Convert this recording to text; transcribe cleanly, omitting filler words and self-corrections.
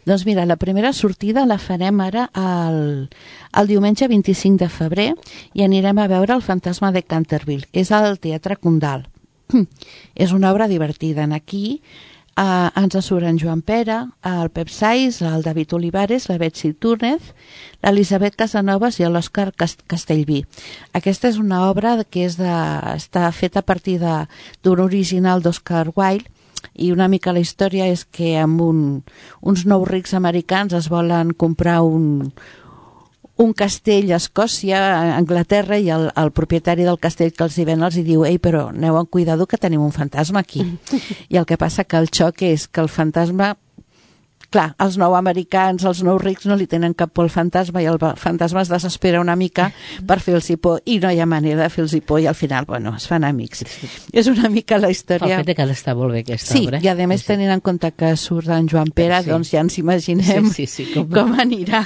Doncs mira, la primera sortida la farem ara el diumenge 25 de febrer i anirem a veure El fantasma de Canterville. És al Teatre Condal. És una obra divertida. Aquí ens surt en Joan Pere, el Pep Sais, el David Olivares, la Betsy Túnez, l'Elisabet Casanovas i l'Òscar Castellví. Aquesta és una obra que està feta a partir d'un original d'Oscar Wilde, i una mica la història és que amb uns nous rics americans es volen comprar un castell a Escòcia, a Anglaterra, i el propietari del castell que els hi ven els hi diu: ei, però aneu amb cuidado que tenim un fantasma aquí. I el que passa que el xoc és que el fantasma, clar, els nou americans, els nous rics no li tenen cap por al fantasma, i el fantasma es desespera una mica per fer-los por, i no hi ha manera de fer-los por, i al final, bueno, es fan amics. És una mica la història. El fet que està molt bé aquesta obra. Sí, i a més tenint en compte que surt en Joan Pere, doncs ja ens imaginem com anirà.